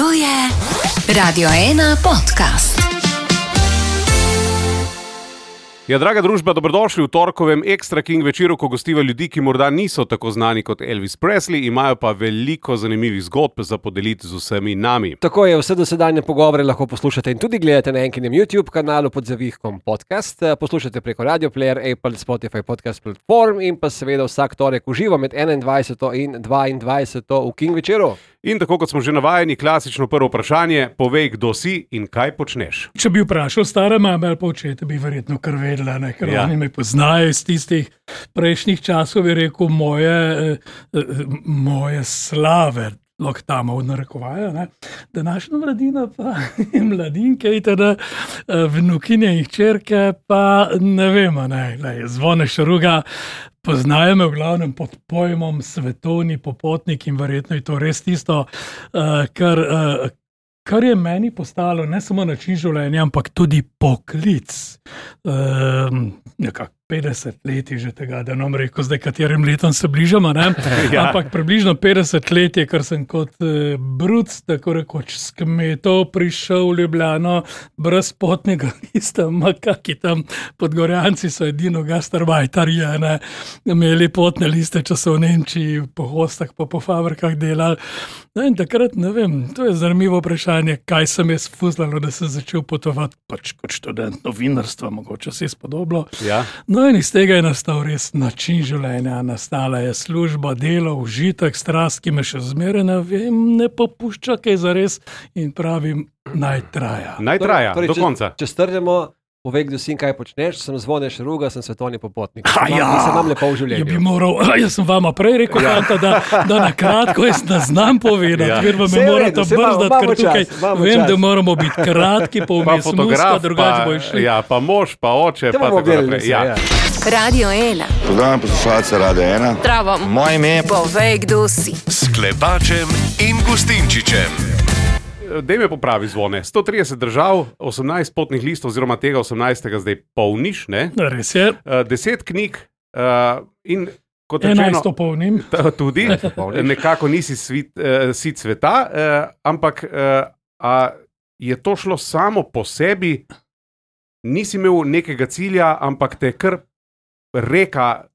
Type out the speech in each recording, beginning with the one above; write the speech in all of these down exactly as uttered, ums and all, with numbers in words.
To je Radio ena podcast. Ja, draga družba, dobrodošli v torkovem Extra King večeru, ko gostiva ljudi, ki morda niso tako znani kot Elvis Presley, imajo pa veliko zanimivih zgodb za podeliti z vsemi nami. Tako je, vse dosedanje pogovore lahko poslušate in tudi gledate na enkinem YouTube kanalu pod zavihkom podcast. Poslušate preko Radio Player, Apple, Spotify podcast platform in pa seveda vsak torek uživo med enaindvajseto in dvaindvajseto v King večeru. In tako kot smo že navajeni, klasično prvo vprašanje, povej, kdo si in kaj počneš. Če bi vprašal stare mame ali pa očete, bi verjetno kar vedela, ne? Ker ja. Oni me poznajo iz tistih prejšnjih časov, bi rekel, moje, eh, moje slave, loktama v narekovaja, ne? Današnja mladina pa mladinke, itd., vnukinje in hčerke pa ne vemo, ne, ne, Zvone Šaruga, poznajo me v glavnem pod pojmom svetovni popotnik in verjetno je to res tisto, uh, kar, uh, kar je meni postalo ne samo način življenja, ampak tudi poklic. Uh, nekako petdeset let je že tega, da nam rekel, zdaj katerim letom se bližamo, ne? Ja. Ampak približno petdeset let je, ker sem kot e, bruc, tako rekoč, s kmetov prišel v Ljubljano brez potnega lista, makaki tam Podgorjanci so edino gastarbajtarji, ne, imeli potne liste, če so v Nemčiji po hostah pa po fabrikah delali. No in takrat, ne vem, to je zanimivo vprašanje, kaj sem jaz fuzlalo, da sem začel potovati, pač kot študent novinarstva, mogoče se je spodoblo. Ja. No in iz tega je nastal res način življenja, nastala je služba, delo, užitek, strast, ki me še zmeraj ne vem, ne popušča kaj zares in pravim, naj traja. Naj traja, torej, do če, konca. Če strnemo, povej, kdo si in kaj počneš, sem Zvone Šaruga, sem svetovni popotnik. Ha, ja. Nisem vam lepo v življenju. Ja bi moral, jaz sem vama prej rekel, ja. Fanta, da, da na kratko jaz ne znam povedati, ja. Ker vam me morate brzdati, ker tukaj čas, vem, čas. Da moramo biti kratki, pa vmes muska, drugače bo išli. Ja, pa mož, pa oče, pa tako naprej. Ja. Ja. Radio ena. Pozdravljam poslušalce Radio ena. Zdravo. Moje ime je Povej, kdo si. S Klepačem in Gustinčičem. Dej me popravi, Zvone. sto trideset držav, osemnajst potnih listov, oziroma tega osemnajstega zdaj polniš, ne? Res je. Uh, deset knjig uh, in kot enajst rečeno, polnim. Tudi, nekako nisi svit, uh, sit sveta, uh, ampak uh, a je to šlo samo po sebi, nisi imel nekega cilja, ampak te kar reka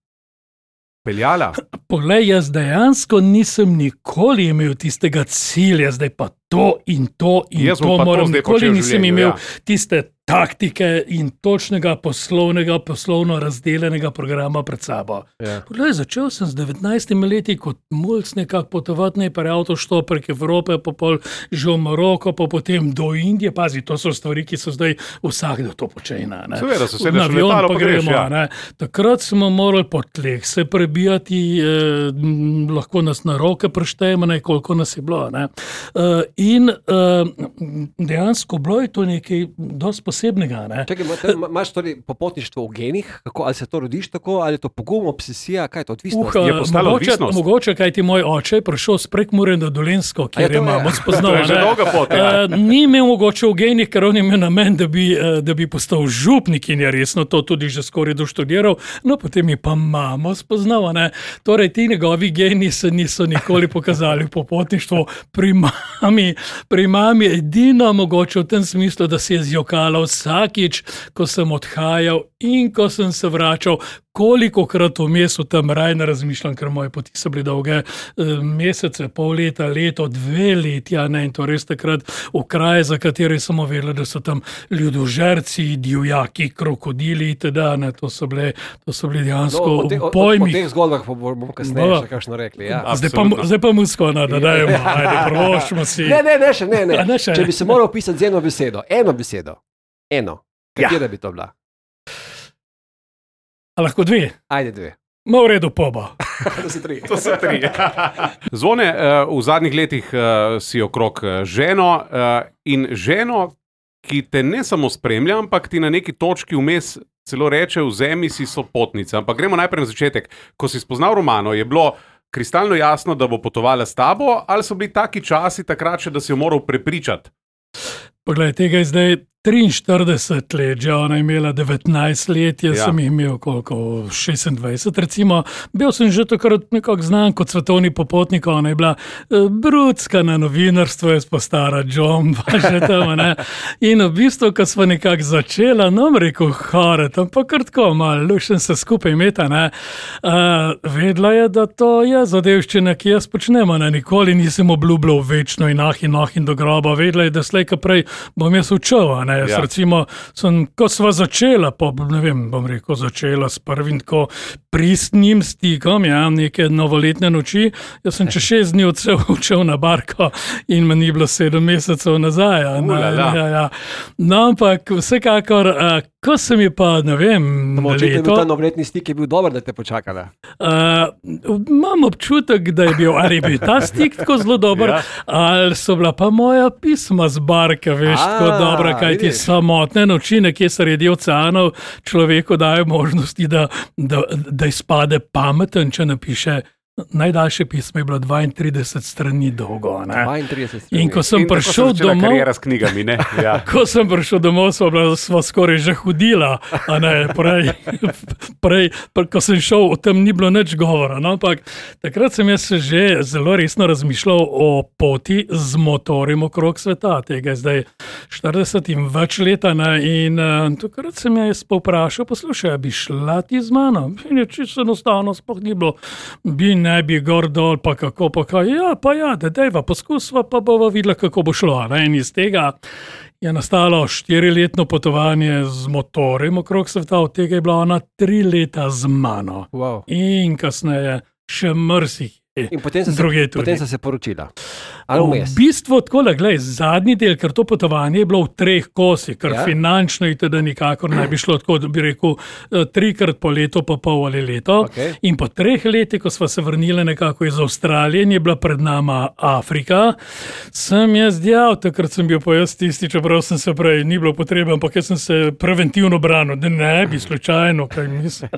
peljala? Poglej, jaz dejansko nisem nikoli imel tistega cilja, zdaj pa to in to in jaz to moram, to nikoli nisem življenju, imel ja. tiste taktike in točnega poslovnega, poslovno razdeljenega programa pred sabo. Ja. Poglej, začel sem z devetnajstimi leti kot mulc nekako potovati najprej avtoštop prek Evrope, pa pol že v Maroko, pa potem do Indije. Pazi, to so stvari, ki so zdaj vsakdo to počenja. Seveda, so sedeš na v letalo, pa greš, gremo, ja. ne. Takrat smo morali po tleh se prebijati, eh, m, lahko nas na roke preštejemo, ne, koliko nas je bilo. Ne. Uh, in uh, dejansko bilo je to nekaj dosti posebnega. Ne. Čakaj, imaš torej popotništvo v genih, kako, ali se to rodiš tako, ali je to pogum, obsesija, kaj je to odvisnost? Je postala mogoče, odvisnost? mogoče, kaj ti moj oče je prišel s Prekmurja na Dolenjsko, kjer je je mamo spoznal. To je že dolga pot, ja. Uh, ni imel mogoče v genih, ker on je imel namen, da bi, uh, da bi postal župnik in je resno to tudi že skoraj doštudiral, no potem je pa mamo spoznal. Ne. Torej, ti njegovi geni se niso nikoli pokazali v popotništvu. Pri mami, pri mami edino mogoče v tem smislu, da se je zjokala vsakič, ko sem odhajal in ko sem se vračal, kolikokrat vmes v tem raj ne razmišljam, ker moje poti so bili dolge mesece, pol leta, leto, dve letja, ne, in to res takrat v kraje, za katere sem vedela, da so tam ljudožerci, divjaki, krokodili itd. Ne, to so bile, to so bili dejansko no, o te, o, pojmi. O teh zgodbah bomo kasneje no. še kakšno rekli. Ja. Zdaj pa, zdaj pa musko, no, da dajemo, ajde, prošimo si. Ne, ne, ne, še, ne, ne. ne še. Če bi se moral pisati z eno besedo, eno besedo, eno, katera ja. bi to bila? A lahko dve? Ajde dve. Ma v redu, poba. To so tri. To so tri. Zvone, v zadnjih letih si okrog ženo in ženo, ki te ne samo spremlja, ampak ti na neki točki vmes celo reče, vzemi si sopotnice. Ampak gremo najprej na začetek. Ko si spoznal Romano, je bilo kristalno jasno, da bo potovala s tabo, ali so bili taki časi takrat še, da si jo moral prepričati? Poglej, tega je zdaj triinštirideset let, že ona je imela devetnajst let, jaz Ja. sem jih imel koliko, šestindvajset recimo. Bil sem že takrat nekako znan kot svetovni popotnik, ona je bila eh, brudska na novinarstvo, jaz pa stara John, pa že tam, ne. In v bistvu, ko smo nekako začela, nam rekel, hore, tam pa kar tako malo, lušen se skupaj imeta, ne. Uh, vedela je, da to je zadevščina, ki jaz počnemo, ne, nikoli nisem obljubljal večno in ah in ah in do groba, vedela je, da slej ka prej bom jaz učil, a ne. Jaz Ja. recimo, sem, ko sva začela, po, ne vem, bom rekel, začela s prvim tako pristnim stikom, ja, neke novoletne noči, jaz sem čez šest dni odšel, učil na barko in me ni bilo sedem mesecev nazaj. A, ne, Ulala. ja, ja. No, ampak vsekakor, a, ko sem je pa, ne vem, Očitno je bil leto, ta novoletni stik je bil dober, da te počakala. Uh, imam občutek, da je bil, ali je bil ta stik tako zelo dober, Ja. ja. ali so bila pa moja pisma z barke, veš, A, tako dobra, kaj ti vidiš. samotne noči, nekje sredi oceanov, človeku dajo možnosti, da, da, da izpade pameten, če napiše. Najdaljše pismo je bilo dvaintrideset strani dolgo. Ne? dvaintrideset strani. In ko sem In tako se prišel začela domov, kariera s knjigami, ne? Ja. Ko sem prišel domov, smo, bila, smo skoraj že hodila, a ne, prej, prej, prej, ko sem šel, o tem ni bilo nič govora. No, ampak takrat sem jaz že zelo resno razmišljal o poti z motorjem okrog sveta, tega je zdaj štirideset in več leta. Ne, in uh, takrat sem jaz povprašal, poslušaj, a bi šla ti z mano? In je čisto enostavno, sploh ni bilo, bi ne bi gor dol, pa kako, pa kaj, ja, pa ja, da dejva, poskusva, pa bova videla, kako bo šlo. Ne? In iz tega je nastalo štiriletno potovanje z motorjem okrog sveta, od tega je bila ona tri leta z mano. Wow. In kasneje še mrsih. In potem so se, Druge tudi. potem so se poročila. Ali V vmes? bistvu tako, glej, zadnji del, ker to potovanje je bilo v treh kosih, ker Ja. ja. finančno je teda nikakor ne bi šlo tako, da bi rekel, eh, trikrat po leto, pa pol ali leto. Okej. In po treh letih, ko sva se vrnili nekako iz Avstralije in je bila pred nama Afrika, sem jaz dejal, takrat sem bil pa jaz tisti, čeprav sem se prej, ni bilo potrebe, ampak jaz sem se preventivno branil, da ne bi slučajno, kaj mislim.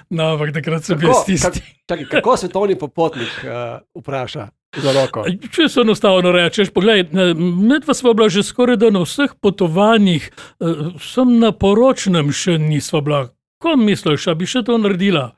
No, ampak takrat sem bil jaz tisti. Čakaj, kako svetovni popotnik uh, vpraša za roko? Če se enostavno rečeš, poglej, medva sva bila že skoraj da na vseh potovanjih, eh, sem na poročnem še nisva bila. Ko misliš, a bi še to naredila?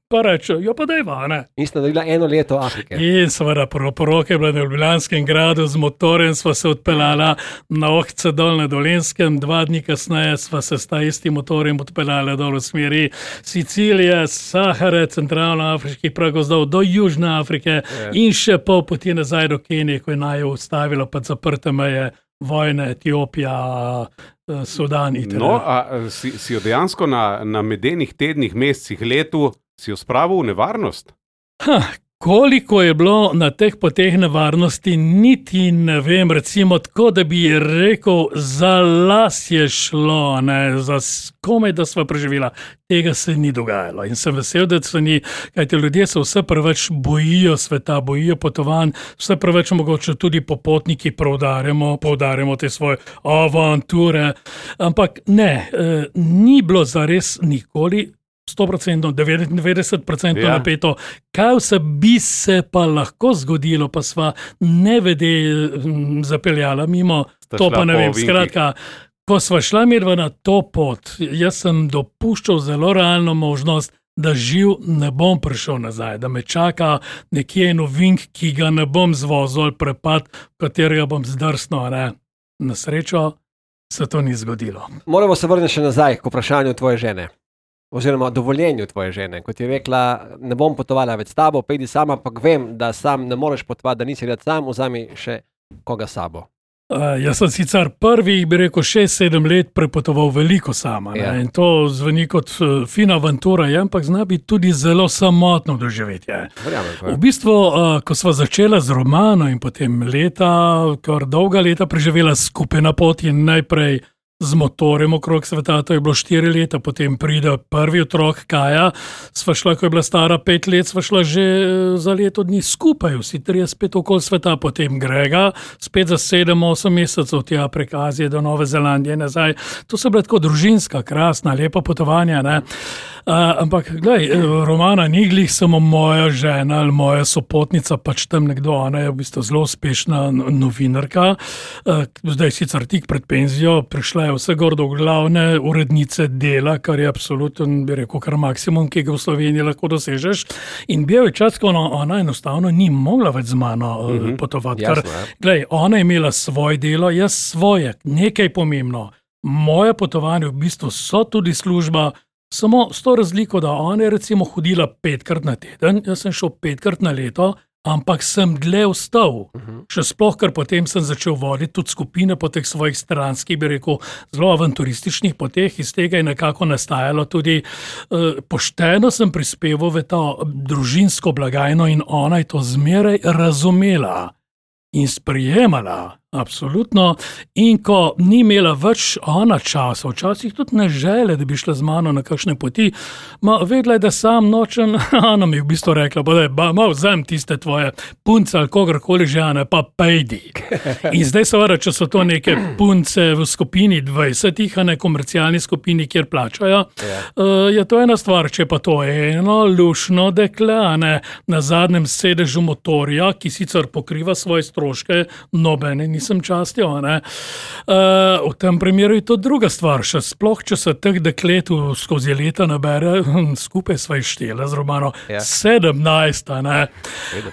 Pa reče, jo pa dejva, ne. In sta naredila eno leto Afrike. In seveda poroke je bila na Ljubljanskem gradu, z motorjem sva se odpeljala na Ohce dol na Dolenskem, dva dni kasneje sva se s ta istim motorjem odpeljala dol v smeri Sicilije, Sahare, centralnoafriških pragozdov do Južne Afrike in še pol poti nazaj do Kenije, ko je naju ustavilo pa zaprte meje, vojne, Etiopija, eh, Sudan itd. No, a si, si jo dejansko na, na medenih tednih, mesecih, letu, si jo spravil v nevarnost? Ha, koliko je bilo na teh poteh nevarnosti, niti ne vem, recimo tako, da bi rekel, za las je šlo, ne, za s- komaj, da sva preživela. Tega se ni dogajalo in sem vesel, da se ni, kajti ljudje se vse preveč bojijo sveta, bojijo potovanj, vse preveč mogoče tudi popotniki poudarjamo, poudarjamo te svoje avanture, ampak ne, eh, ni bilo zares nikoli sto procentov, devetdeset procentov Ja. napeto. Kaj vse bi se pa lahko zgodilo, pa sva nevede mm, zapeljala mimo, Sta to šla pa ne po vem. ovinkih. Skratka, ko sva šla medva na to pot, jaz sem dopuščal zelo realno možnost, da živ ne bom prišel nazaj, da me čaka nekje en ovink, ki ga ne bom zvozil, ali prepad, v katerega bom zdrsnil. a ne. Na srečo se to ni zgodilo. Moramo se vrniti še nazaj k vprašanju tvoje žene. Oziroma dovoljenju tvoje žene. Kot je rekla, ne bom potovala več s tabo, pejdi sama, ampak vem, da sam ne moreš potovati, da nisi rad sam, vzami še koga s sabo. Uh, jaz sem sicer prvih, bi rekel, šest, sedem let prepotoval veliko sama. Ja. Ja. In to zveni kot uh, fina avantura, je, ampak zna biti tudi zelo samotno doživetje. Verjamem, to je. V bistvu, uh, ko sva začela z romano in potem leta, kar dolga leta preživela skupaj na poti, najprej z motorjem okrog sveta, to je bilo štiri leta, potem pride prvi otrok Kaja, sva šla, ko je bila stara pet let, sva šla že za leto dni skupaj, vsi trije spet okoli sveta, potem Grega, spet za sedem, osem mesecev tja prek Azije do Nove Zelandije nazaj. To so bile tako družinska, krasna, lepa potovanja, ne. Uh, ampak, glej, Romana ni glih samo moja žena ali moja sopotnica, pač tam nekdo, ona je v bistvu zelo uspešna novinarka, uh, zdaj sicer tik pred penzijo, prišla je vse gor do glavne urednice Dela, kar je absoluten, bi rekel, kar maksimum, ki ga v Sloveniji lahko dosežeš. In bil je čas, ko ona, ona enostavno ni mogla več z mano uh, mm-hmm. potovati. Ker, glej, ona je imela svoje delo, jaz svoje, nekaj pomembno. Moje potovanje v bistvu so tudi služba, samo s to razliko, da ona je recimo hodila petkrat na teden, jaz sem šel petkrat na leto, ampak sem dlje vstal. Uh-huh. Še sploh, ker potem sem začel voditi tudi skupine po teh svojih stranskih, bi rekel, zelo avanturističnih poteh, iz tega je nekako nastajalo tudi uh, pošteno sem prispeval v to družinsko blagajno in ona je to zmeraj razumela in sprijemala. Absolutno. In ko ni imela več ona časa, včasih tudi ne žele, da bi šla z mano na kakšne poti, ma vedela je, da sam nočem, ona mi je v bistvu rekla, da je, ma vzem tiste tvoje punce ali kogarkoli že, ne, pa pejdi. In zdaj seveda, če so to neke punce v skupini dvajsetih, a ne komercialni skupini, kjer plačajo, yeah. uh, je to ena stvar, če pa to eno lušno dekle, a ne, na zadnjem sedežu motorja, ki sicer pokriva svoje stroške, nobene nisem častil, ne. Uh, v tem primeru je to druga stvar, še sploh, če se teh deklet skozi leta nabere, skupaj sva ištela z Romano, ja. sedemnajst, ne.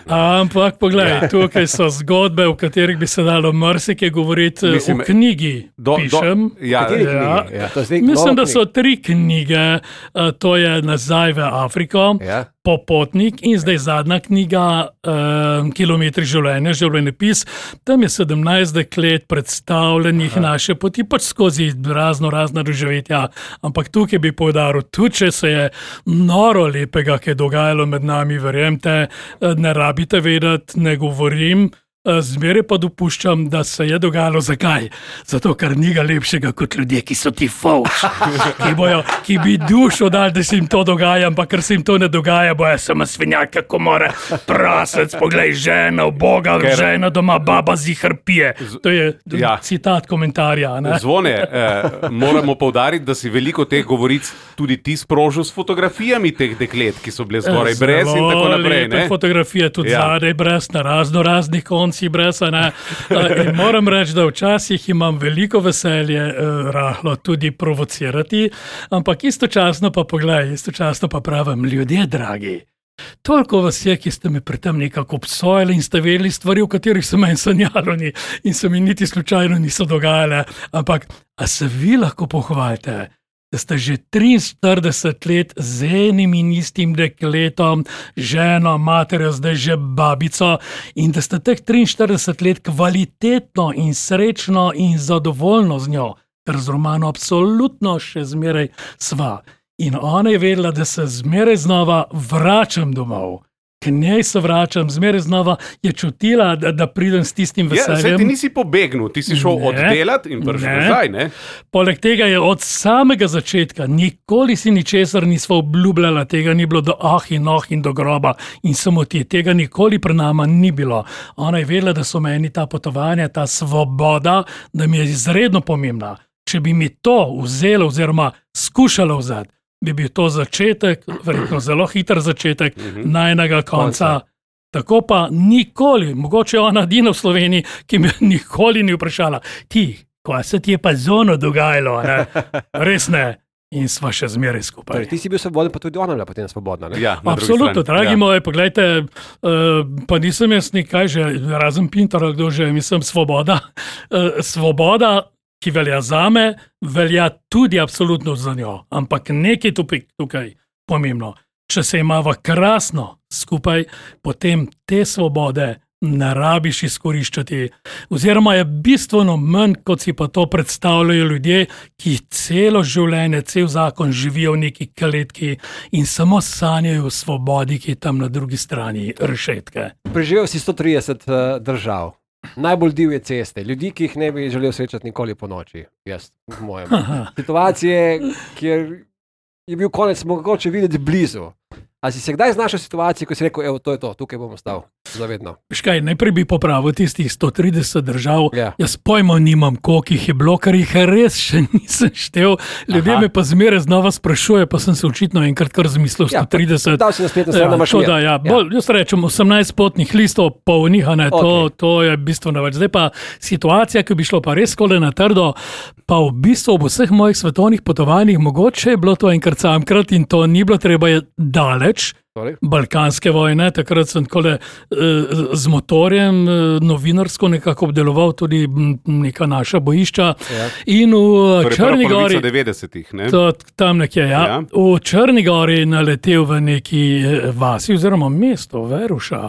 Ampak poglej, ja. tukaj so zgodbe, v katerih bi se dalo marsikaj govoriti. Mislim, v knjigi do, pišem. Do, ja, ja. Ja, to mislim, da so tri knjige, uh, to je Nazaj v Afriko, ja. Popotnik in zdaj zadnja knjiga uh, Kilometri življenja, življenjepis. Tam je sedemnajst deklet predstavljenih Aha. naše poti, pač skozi razno razna doživetja. Ampak tukaj bi poudaril, tudi če se je noro lepega, ki je dogajalo med nami, verjemte, ne rabite vedeti, ne govorim, zmeraj pa dopuščam, da se je dogajalo. Zakaj? Zato, ker ni ga lepšega kot ljudje, ki so ti fauš, ki, bojo, ki bi dušo dali, da se jim to dogaja, ampak ker se jim to ne dogaja, bojo samo svinjak, kako mora prasec, poglej, žena, boga, ker... žena doma, baba zihar pije. To je ja. citat komentarja. Ne? Zvone, eh, moramo poudariti, da si veliko teh govoric tudi ti sprožil s fotografijami teh deklet, ki so bile zgoraj brez in tako naprej. Zelo lepe fotografije, tudi ja. zadaj brez, na razno raznih koncih brez, ne. In moram reči, da včasih imam veliko veselje eh, rahlo tudi provocirati, ampak istočasno pa poglej, istočasno pa pravim, ljudje dragi, toliko vas je, ki ste me pri tem nekako obsojali in ste vedeli stvari, v katerih se meni sanjalo ni in se mi niti slučajno niso dogajale, ampak a se vi lahko pohvalite, da ste že triinštirideset let z enim in istim dekletom, ženo, materjo, zdaj že babico in da ste teh triinštirideset let kvalitetno in srečno in zadovoljno z njo, ker z Romano absolutno še zmeraj sva. In ona je vedela, da se zmeraj znova vračam domov. K njej se vračam, zmeraj znova je čutila, da, da pridem s tistim veseljem. Ja, saj ti nisi pobegnil, ti si šel ne, oddelati in prišel nazaj, ne? Poleg tega je od samega začetka, nikoli si ničesar nisva obljubljala, tega ni bilo do ah in oh in do groba in samo ti, tega nikoli pri nama ni bilo. Ona je vedela, da so meni ta potovanja, ta svoboda, da mi je izredno pomembna. Če bi mi to vzelo oziroma skušala vzeti, bi bil to začetek, verjetno zelo hiter začetek, uh-huh. najnega konca. konca. Tako pa nikoli, mogoče ona edina v Sloveniji, ki me nikoli ni vprašala, ti, ko se ti je pa zono dogajalo, ne? Res ne. In sva še zmeraj skupaj. Torej, ti si bil svoboden, pa tudi ona bila potem svobodna, ne? Ja, absolutno, dragi ja. moji, poglejte, uh, pa nisem jaz nekaj že, razen Pintar, kdo že, mislim, svoboda. Uh, svoboda, ki velja zame, velja tudi absolutno za njo. Ampak nekaj tukaj, tukaj pomembno. Če se imava krasno skupaj, potem te svobode ne rabiš izkoriščati. Oziroma je bistveno manj, kot si pa to predstavljajo ljudje, ki celo življenje, cel zakon živijo v neki kletki in samo sanjajo o svobodi, ki je tam na drugi strani rešetke. Preživel si sto trideset uh, držav. najbolj divje ceste, ljudi, ki jih ne bi želel srečati nikoli po noči. Jaz, v mojem. Situacije, kjer je bil konec mogoče videti blizu. A si se kdaj znašel v situaciji, ko si rekel, evo, to je to, tukaj bom ostal zavedno? Škaj, najprej bi popravil tistih sto trideset držav. Ja. Jaz pojma nimam, koliko jih je bilo, ker jih res še nisem štel. Ljudje Aha. me pa zmeraj znova sprašujejo, pa sem se očitno enkrat kar zmislil Ja, sto trideset. dal si na spletno stran, da imaš to, mir. da, ja. Ja. Bolj, jaz rečem osemnajst potnih listov, polnih, a ne, to, Okej. to je bistveno več. Zdaj pa situacija, ki bi šlo pa res skole na trdo, pa v bistvu ob vseh mojih svetovnih potovanjih, mogoče je bilo to enkrat samkrat in to ni bilo treba je daleč. Sorry. Balkanske vojne, takrat sem takole, eh, z motorjem eh, novinarsko nekako obdeloval tudi m, neka naša bojišča. Ja. In v Torej, prva Črni polovica gori, devetdesetih, ne? to, tam nekje, ja, Ja. v Črni gori naletel v neki eh, vasi oziroma mesto Veruša.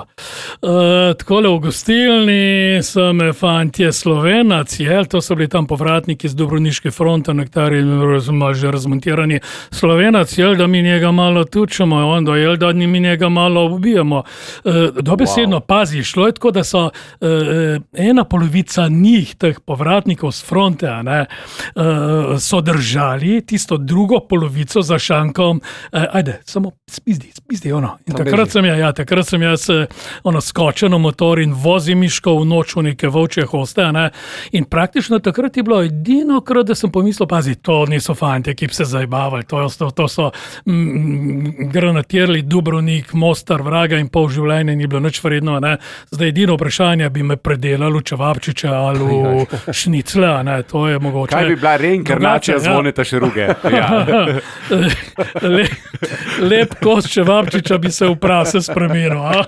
Uh, takole v gostilni so me fantje Slovenac, jel, to so bili tam povratniki z Dubrovniške fronte, nekateri malo že razmontirani Slovenac, jel, da mi njega malo tučemo, onda, jel, da mi njega malo ubijamo. Uh, dobesedno, wow. Pazi, šlo je tako, da so uh, ena polovica njih, teh povratnikov z fronte, a ne, uh, so držali tisto drugo polovico za šankom, uh, ajde, samo spizdi, spizdi, ono. In Tam takrat beži. sem, ja, ja, takrat sem jaz eh, ono skočen v motor in vozim miško v noč v neke volčje hoste, a ne. In praktično takrat je bilo edino krat, da sem pomislil, pazi, to niso fantje, ki bi se zajbavali, to, to, to so mm, granatirali Dubrovnik, Mostar, Vraga in pol življenja ni bilo nič vredno, a ne. Zdaj edino vprašanje bi me predelalo čevapčiče ali v šnicle, a ne, to je mogoče. Kaj bi bila reinkarnacija Drugače, ja. Zvoneta Šeruge? Ja. Le, lep kos čevapčiča bi se v prase spremenil. a?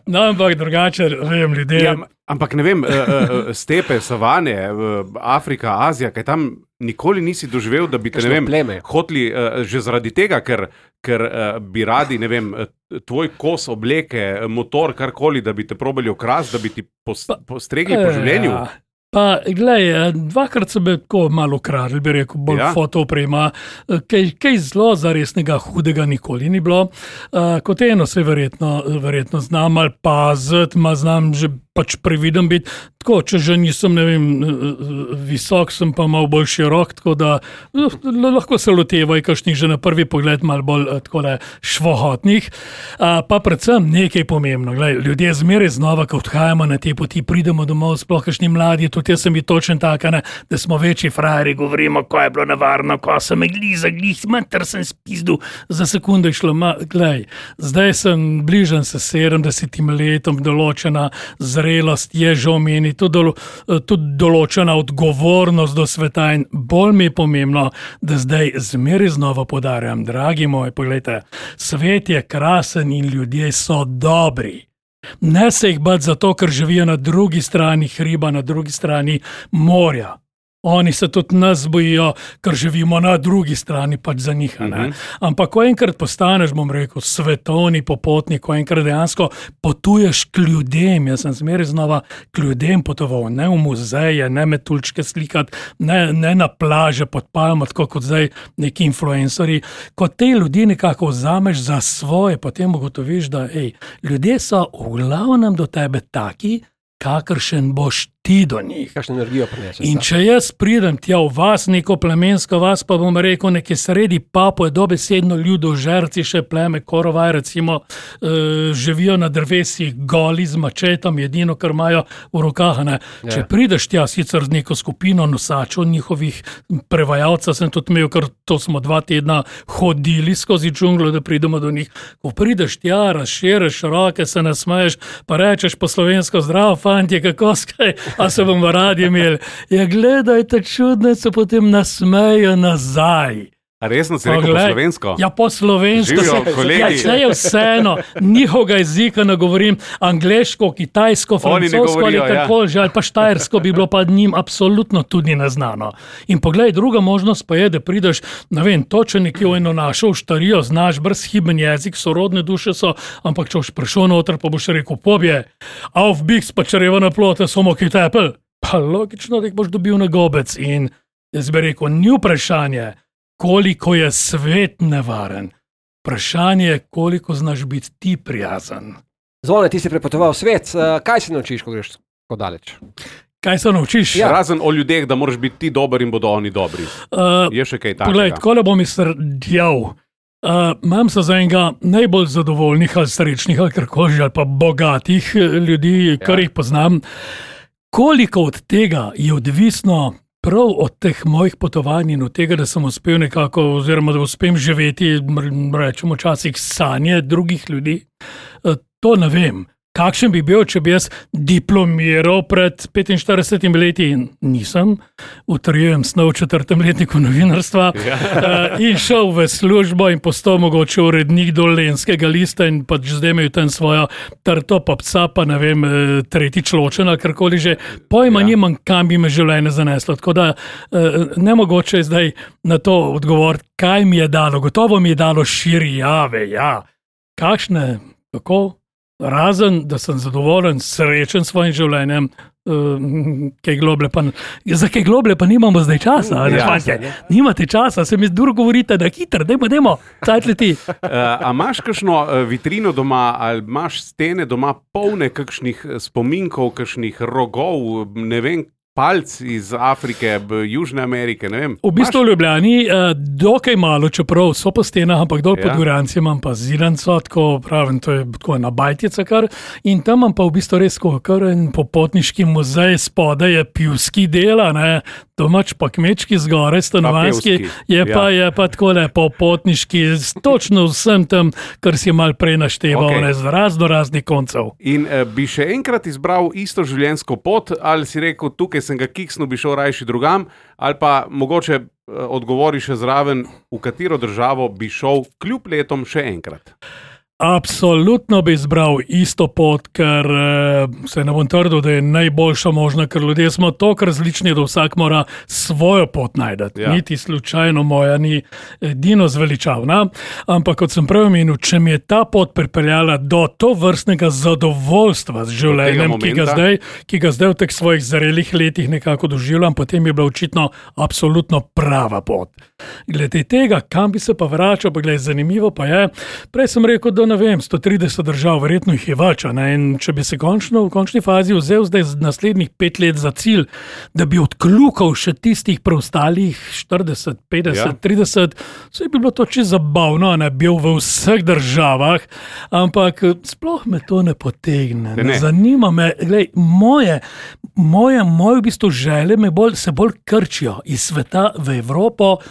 No, ampak drugače, vem, ljudje. Ja, ampak ne vem, uh, uh, stepe, savane, uh, Afrika, Azija, kaj tam nikoli nisi doživel, da bi te, ne Kakšno vem, pleme. hoteli uh, že zaradi tega, ker, ker uh, bi radi, ne vem, uh, tvoj kos obleke, motor, karkoli, da bi te probali okrasti, da bi ti pos, postregli po življenju. Ja. Pa, glej, dvakrat so me tako malo ukradli, bi rekel, bolj Ja. ja. fotooprema, kaj, kaj zelo zaresnega hudega nikoli ni bilo. Uh, kot eno se verjetno, verjetno znam ali paziti, ma znam že pač previden biti. Tako, če že nisem, ne vem, visok, sem pa malo bolj širok, tako da uh, lahko se lotevajo kakšnih že na prvi pogled malo bolj uh, takole švohotnih. Uh, pa predvsem nekaj pomembno. Glej, ljudje zmeraj znova, ko odhajamo na te poti, pridemo domov, sploh kakšni mladi, tudi jaz sem bil točen tak, ne, da smo večji frajeri, govorimo, ko je bilo nevarno, ko sem me gliza, glih, mater sem spizdu, za sekundo je šlo, ma, glej, zdaj sem bližan se sedemdesetim letom, določena zrelost je že omeni, tudi, dolo, tudi določena odgovornost do sveta in bolj mi je pomembno, da zdaj zmeraj znova podarjam, dragi moji, pogledajte, svet je krasen in ljudje so dobri. Ne se jih bati zato, ker živijo na drugi strani hriba, na drugi strani morja. Oni se tudi nas bojijo, ker živimo na drugi strani, pač za njih. Uh -huh. Ampak, ko enkrat postaneš, bom rekel, svetovni popotnik, ko enkrat dejansko potuješ k ljudem, jaz sem zmeraj znova k ljudem potoval, ne v muzeje, ne metulčke slikati, ne, ne na plaže pod palmo, tako kot zdaj neki influencerji. Ko te ljudi nekako vzameš za svoje, potem ugotoviš, da ej, ljudje so v glavnem do tebe taki, kakršen boš ti do njih. Kakšno energijo prineseš? In če jaz pridem tja v vas, neko plemensko vas, pa bom rekel, nekje sredi Papue, dobesedno ljudožerci, še pleme Korovaj, recimo, uh, živijo na drevesih goli z mačetom, edino, kar imajo v rokah. Ne. Ja. Če prideš tja sicer z neko skupino nosačev, njihovih prevajalcev, sem tudi imel, ker to smo dva tedna hodili skozi džunglo, da pridemo do njih. Ko prideš tja, razširiš roke, se nasmeješ, pa rečeš po slovensko, zdravo, fantje, kako skaj, a se bomo radi imeli. Ja, gledajte, čudne se potem nasmejo nazaj. A resno si rekel po slovensko? Ja, po slovensko. Živijo, se, kolegi. ja, če je vseeno, njihovega jezika ne govorim, angleško, kitajsko, francosko ali karkoli že, ali pa štajersko bi bilo pa njim absolutno tudi neznano. In poglej, druga možnost pa je, da prideš, ne vem, točno nekje v eno našo štarijo, znaš brezhiben jezik, sorodne duše so, ampak če boš prišel noter, pa boš rekel, pobje, auf biks, pa čreva na plote, samo ki tepel. Pa logično, da jih boš dobil na gobec. In jaz bi rekel, ni vprašanje, koliko je svet nevaren. Vprašanje je, koliko znaš biti ti prijazen. Zvone, ti si prepotoval svet, kaj se naučiš, ko greš tako daleč. Kaj se naučiš? Ja. Razen o ljudeh, da moraš biti ti dober in bodo oni dobri. Uh, je še kaj takega? Poglej, tako le bom izsrdjal. Uh, imam se za enega najbolj zadovoljnih ali srečnih ali karkoli, ali pa bogatih ljudi, kar ja. jih poznam. Koliko od tega je odvisno prav od teh mojih potovanj in od tega, da sem uspel nekako, oziroma da uspem živeti, rečemo včasih sanje drugih ljudi, uh, to ne vem. Kakšen bi bil, če bi jaz diplomiral pred petinštiridesetimi leti in nisem, utrjujem snov v četrtem letniku novinarstva ja. uh, in šel v službo in postal mogoče urednik Dolenjskega lista in pač zdaj imel tam svojo trto, pa psa, pa ne vem, tretjič ločen ali karkoli že. Pojma ja. nimam, kam bi me življenje zaneslo. Tako da uh, nemogoče je zdaj na to odgovoriti, kaj mi je dalo. Gotovo mi je dalo širjave, ja. Kakšne, kako? Razen, da sem zadovoljen, srečen s svojim življenjem, uh, kaj globlje pa, za kaj globlje pa nimamo zdaj časa. Ja, ne, ne. Nimate časa, se mi zdaj govorite, da hitro, dajmo, dajmo, cajt leti. Uh, a imaš kakšno vitrino doma, ali imaš stene doma polne kakšnih spominkov, kakšnih rogov, ne vem, palc iz Afrike, Južne Amerike, ne vem. V bistvu v Ljubljani eh, dokaj malo, čeprav so po stenah, ampak dol ja. pod Goranci imam pa zidanco, tako pravim, to je tako ena bajtica kar, in tam imam pa v bistvu res kar en popotniški muzej, spodaj je pivski dela, ne, domač pa kmečki zgore, stanovanski, je pa, ja. je pa tako le popotniški, točno vsem tam, kar si mal prej našteval, okay. ne, z razno raznih koncev. In eh, bi še enkrat izbral isto življenjsko pot, ali si rekel, tukaj sem ga kiksnil, bi šel rajši drugam, ali pa mogoče eh, odgovori še zraven, v katero državo bi šel kljub letom še enkrat? Absolutno bi izbral isto pot, ker se ne bom trdil, da je najboljša možna, ker ljudje smo toliko različni, da vsak mora svojo pot najdeti. Ja. Niti slučajno moja ni edino zveličavna, ampak kot sem prej omenil, če mi je ta pot pripeljala do to vrstnega zadovoljstva z življenjem, ki ga, zdaj, ki ga zdaj v teh svojih zrelih letih nekako doživljam, potem je bila očitno absolutno prava pot. Glede tega, kam bi se pa vračal, pa glede, zanimivo pa je, prej sem rekel, da ne vem, sto trideset držav, verjetno jih je več, ne? In če bi se končno v končni fazi vzel zdaj naslednjih pet let za cilj, da bi odkljukal še tistih preostalih štirideset, petdeset, ja. trideset, so bi bilo to čisto zabavno, ne, bil v vseh državah, ampak sploh me to ne potegne, ne, ne. Zanima me, glej, moje, moje, moje v bistvu želje me bolj, se bolj krčijo iz sveta v Evropo,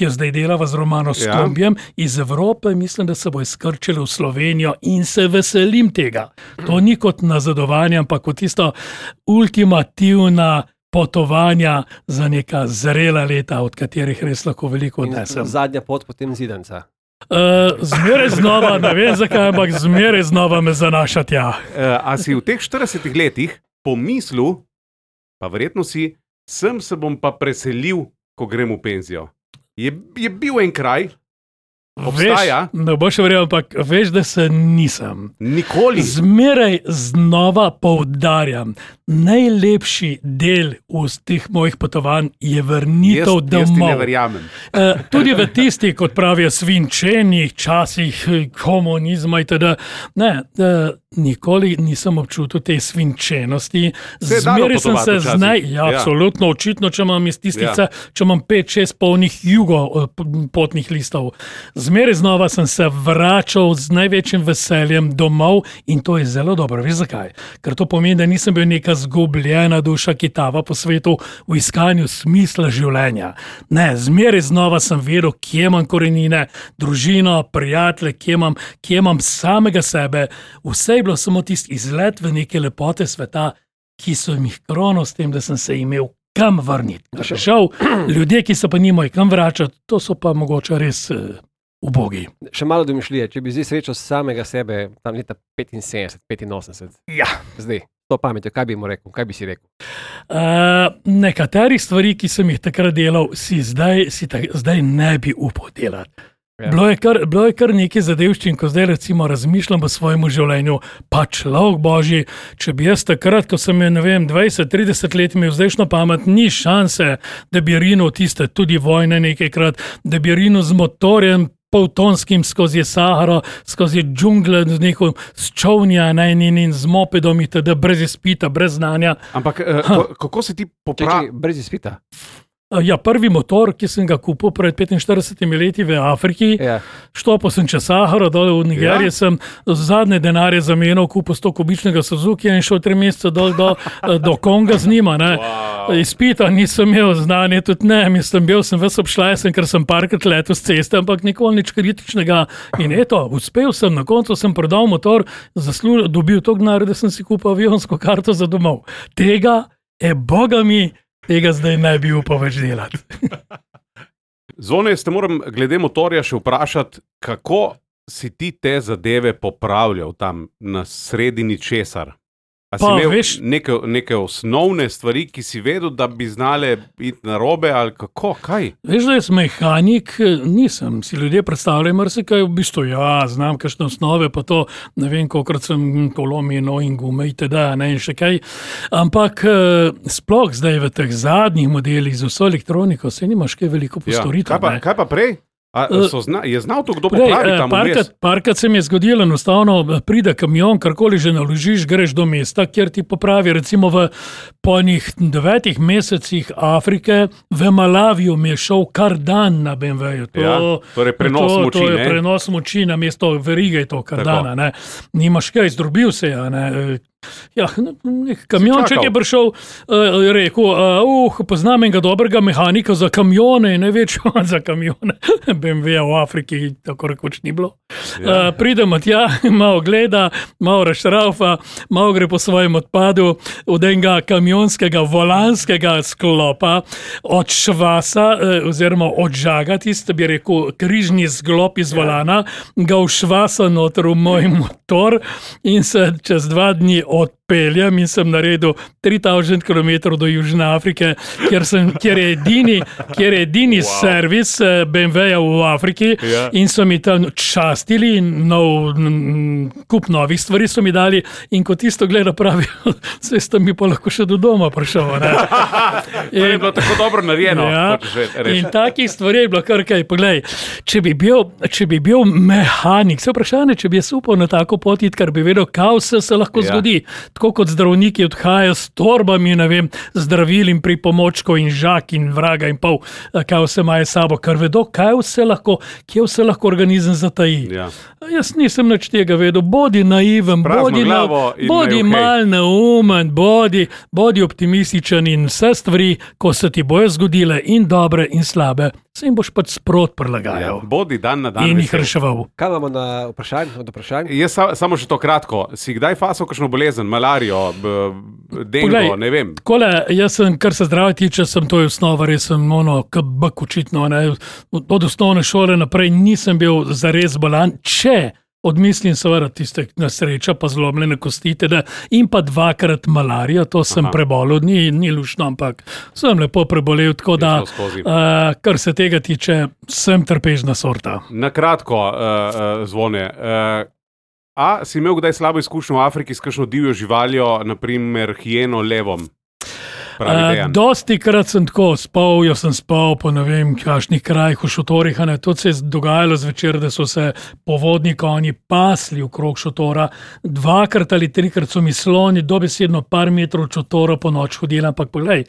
ki jo zdaj delava z Romano Skombijem, ja. iz Evrope, mislim, da se bo izkrčili v Slovenijo in se veselim tega. To ni kot nazadovanje, ampak kot tisto ultimativna potovanja za neka zrela leta, od katerih res lahko veliko odnesem. Zadnja pot potem zidanca. Uh, zmeraj znova, ne vem zakaj, ampak zmeraj znova me zanaša tja. Uh, a si v teh štiridesetih letih pomislil, pa verjetno si, sem se bom pa preselil, ko grem v penzijo? Je, je bil en kraj, obstaja? Veš, ne boš verjel, ampak veš, da se nisem. Nikoli. Zmeraj znova poudarjam, najlepši del v teh mojih potovanj je vrnitev jaz, domov. Jaz ti ne verjamem. Uh, tudi v tistih, kot pravijo, svinčenih časih komunizma itd. Ne, uh, nikoli nisem občutil te svinčenosti. Zmeraj sem se znaj, ja, ja. absolutno, očitno, če imam iz tistica, ja. če imam pet, šest polnih jugo potnih listov. Zmeraj znova sem se vračal z največjim veseljem domov in to je zelo dobro. Veš zakaj? Ker to pomeni, da nisem bil neka zgubljena duša, ki tava po svetu v iskanju smisla življenja. Ne, zmeraj znova sem vedel, kje imam korenine, družino, prijatelje, kje imam, kje imam samega sebe. Vse je bilo samo tisti izlet v neke lepote sveta, ki so mi krono s tem, da sem se imel kam vrniti. Žal, ljudje, ki so pa nimajo kam vračati, to so pa mogoče res uh, ubogi. Še malo domišljije, če bi zdaj srečal samega sebe tam leta petinsedemdeset, petinosemdeset. Ja. Zdaj, to pametjo, kaj bi mu rekel, kaj bi si rekel? Uh, nekaterih stvari, ki sem jih takrat delal, si zdaj, si ta, zdaj ne bi upal delati. Ja. Bilo je kar, bilo je kar nekaj zadevščin, ko zdaj recimo razmišljam v svojem življenju, pa človek božji, če bi jaz takrat, ko sem je, ne vem, dvajset, trideset let imel zdajšno pamet, ni šanse, da bi rinil tiste tudi vojne nekajkrat, da bi rinil z motorjem poltonskim skozi Saharo, skozi džungle, z neko sčovnja, ne, in, in z mopedom, itd., brez izpita, brez znanja. Ampak uh, kako se ti popravi? Brez izpita. Ja, prvi motor, ki sem ga kupil pred petinštiridesetimi leti v Afriki, Ja. štopil sem čez Saharo, dol v Nigeriji, Ja. sem zadnje denarje zamenjal, kupil sto kubičnega Suzuki in šel tri mesece dol do, do Konga z njima. Wow. Izpita nisem imel, znanje tudi ne, mislim, bil sem ves obšlajsen, ker sem parkrat letel z ceste, ampak nikoli nič kritičnega. In eto, uspel sem, na koncu sem prodal motor, zaslužil, dobil to denar, da sem si kupil avionsko karto za domov. Tega, e boga mi, tega zdaj ne bi upal več delati. Zvone, ste moram glede motorja še vprašati, kako si ti te zadeve popravljal tam na sredini česar? A si Pa, imel veš- neke, neke osnovne stvari, ki si vedel, da bi znale iti na robe ali kako, kaj? Veš, da jaz mehanik nisem. Si ljudje predstavljajo marsikaj, v bistvu ja, znam kakšne osnove, pa to ne vem, kolikrat sem kolomino in gume itd. Ne, in še kaj. Ampak eh, sploh zdaj v teh zadnjih modelih z vso elektroniko se nimaš kaj veliko postoriti. kaj, pa, kaj pa prej? A, so zna, je znal to kdo Prej, popraviti eh, tam parkrat, vmes? parkrat se mi je zgodilo, enostavno pride kamion, karkoli že naložiš, greš do mesta, kjer ti popravi. Recimo v polnih devetih mesecih Afrike v Malaviju mi je šel kar dan na bé em véju. To, Ja, torej prenos to, moči, To je ne? prenos moči na mesto verige, je to kar Tako. dana. Ne? Nimaš kaj, zdrobil se je. Ne? Ja, nek kamionček čakal. je prišel, uh, je rekel, uh, uh, poznam enega dobrega mehanika za kamione, ne več za kamione. bé em véja v Afriki tako rekoč ni bilo. Ja. Uh, pridemo tja, malo gleda, malo rašraufa, malo gre po svojem odpadu od enega kamionskega volanskega sklopa, od švasa uh, oziroma od žaga, tiste bi rekel križni zglop iz volana, ga všvasa noter v moj motor in se čez dva dni odpeljem in sem naredil tri tisoč kilometrov do Južne Afrike, kjer, sem, kjer je edini, kjer je edini wow. servis eh, bé em véja v Afriki Ja. in so mi tam častili in nov, n, kup novih stvari so mi dali in ko tisto gleda pravijo, se sta mi pa lahko še do doma prišel. Ne? To je bilo tako dobro narejeno. Ja, hočeš reči. in takih stvari je bilo kar kaj. Poglej, če bi bil, če bi bil mehanik, se vprašanje, če bi jaz upal na tako pot iti, ker bi vedel, kaj vse se lahko Ja. zgodi. Tako kot zdravniki odhajajo s torbami, ne vem, zdravil in pripomočkov in žak in vraga in pol, kaj vse imajo s sabo, ker vedo, kaj vse lahko, kje vse lahko organizem zataji. Ja. Jaz nisem nič tega vedel, bodi naiven, Prazno bodi, glavo na, in bodi naj okej. mal neumen, bodi, bodi optimističen in vse stvari, ko se ti bojo zgodile in dobre in slabe, se jim boš pač sprot Ja, prilagajal bodi dan na dan. in jih vesel. reševal. Kaj imamo na vprašanj? Od vprašanj? Jaz sa, samo še to kratko. Si kdaj fasal kakšno bolezen, malarijo, b, b, dengo, Poglej, ne vem? Takole, jaz sem, kar se zdravja tiče, sem to je osnova, res sem ono, kabak očitno. Ne. Od osnovne šole naprej nisem bil zares bolan, če odmislim seveda tiste nesreča, pa zlomljene kosti, teda, in pa dvakrat malarija, to sem Aha. prebolel, ni, ni lušno, ampak sem lepo prebolel, tako da, šlo skozi. uh, kar se tega tiče, sem trpežna sorta. Na kratko, uh, uh, Zvone. Uh, a si imel kdaj slabo izkušnjo v Afriki s kakšno divjo živaljo, naprimer hijeno, levom? Pravi Uh, Dejan. dosti krat sem tako spal, jaz sem spal po ne vem, kakšnih krajih, v šotorih. a ne. To se je dogajalo zvečer, da so se povodni konji pasli okrog šotora. Dvakrat ali trikrat so mi sloni dobesedno par metrov od šotora po noč hodili, ampak poglej.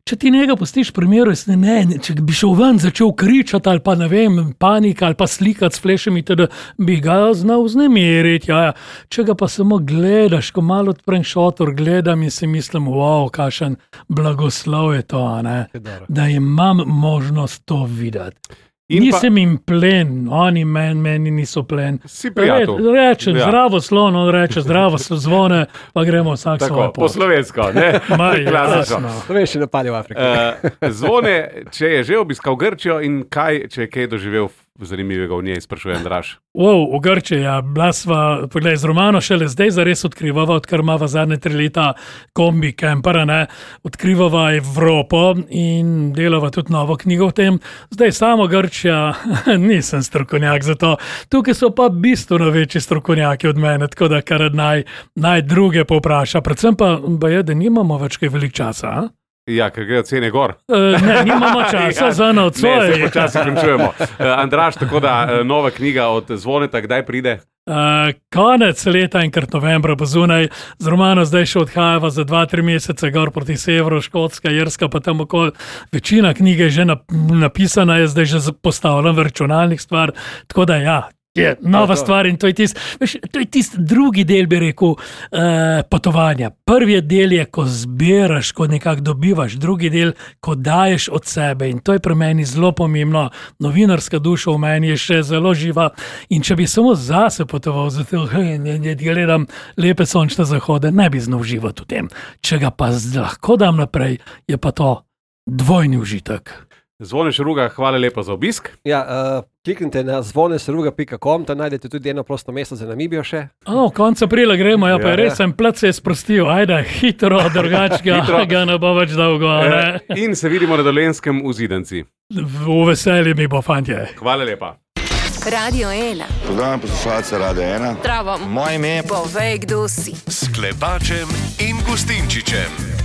Če ti njega pustiš pri miru, jaz ne, ne, če bi šel ven, začel kričati ali pa ne vem, panika ali pa slikati s flešami, teda bi ga znal vznemiriti. Ja, ja. Če ga pa samo gledaš, ko malo odprem šotor, gledam in si mislim, wow, kakšen blagoslov je to, a ne, da imam možnost to videti. In pa- Nisem jim plen, oni meni, meni niso plen. Si prijatelj. Re, rečem, Ja. ja. zdravo slon, on reče, zdravo zvone, pa gremo vsak Tako, svojo po pot. slovensko, ne? Maj, Klasično. jasno. To veš, še napade v Afriki. Uh, Zvone, če je že obiskal Grčijo in kaj, če je kaj doživel zanimivega v njej, sprašujem, Draž. Wow, v Grčiji, ja, bila sva, poglej, z Romano šele zdaj zares odkrivava, odkar imava zadnje tri leta kombi kempera, ne, odkrivava Evropo in delava tudi novo knjigo o tem. Zdaj samo Grčija, nisem strokovnjak za to. Tukaj so pa bistveno večji strokovnjaki od mene, tako da kar naj, naj druge povpraša. Predvsem pa, ba je, da nimamo več kaj veliko časa. A? Ja, ker grejo cene gor. Uh, ne, nimamo časa za Ne, nocoj. se počasi končujemo. Uh, Andraž, tako da uh, nova knjiga od Zvoneta, kdaj pride? Uh, konec leta in krat novembra bo zunaj, z Romano zdaj še odhajava za dva, tri mesece gor proti severu, Škotska, Irska, pa tam okoli. Večina knjige je že nap napisana, je zdaj že postavljena v računalnik stvar, tako da ja. Je nova stvar in to je tisti tist drugi del, bi rekel, eh, potovanja. Prvi del je, ko zbiraš, ko nekako dobivaš, drugi del, ko daješ od sebe in to je pri meni zelo pomembno. Novinarska duša v meni je še zelo živa in če bi samo zase potoval, zato da gledam lepe sončne zahode, ne bi znal uživati v tem. Če ga pa lahko dam naprej, je pa to dvojni užitek. Zvone Šeruga, hvala lepa za obisk. Ja, uh, kliknite na zvoneseruga pika com, tam najdete tudi eno prosto mesto za Namibijo še. O, konec aprila gremo, ja, pa Ja, res ja. sem plec se je sprostil, ajde, hitro, drugačega, Hitro. ga ne bo več dolgo, ne? Uh, in se vidimo na Dolenjskem v Zidanci. V veselje mi bo, fantje. Hvala lepa. Radio ena. Pozdravljam poslušalce Radia ena. Zdravo. Moje ime je Povej, kdo si. S Klepačem in Gustinčičem.